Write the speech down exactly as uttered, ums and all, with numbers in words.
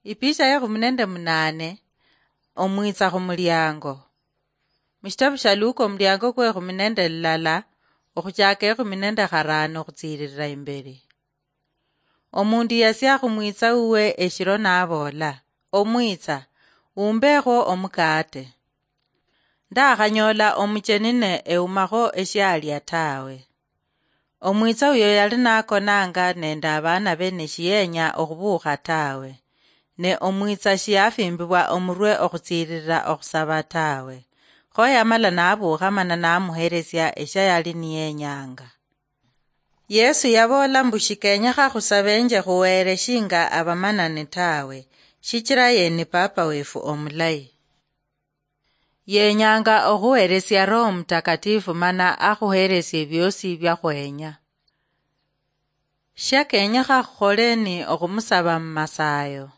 Ipicha yekhumi nende munane. Omwitsa khumuliango. Mushitabu sha Luka omuliango kwekhumi nende lilala, okhuchaka ekhumi nende kharano okhutsiririra imberi. Omundu yasia khumwitsa uwe eshiro naboola, "Omwitsa, umbeekho omukaate." Ndakhanyola omucheni ne eumakho eshialia tawe. Omwitsa uyo yali nakonanga nende abaana be neshiyenya okhubuukha tawe, ne omwitsa shiyafimbibwa omurwe okhutsiririra okhusaba tawe. Kho yamala nabuukha mana namuheresia esha yali niyenyanga. Yesu yaboola mbu shikenyekha khusabenje khuwere shinga abamanani tawe, shichira ye ni Papa wefu omulayi. Yenyanga okhuheresia Roho Mutakatifu mana akhuheresie biosi biakhwenya. Shia kenyekha khukhole ni okhumusaba mu masayo.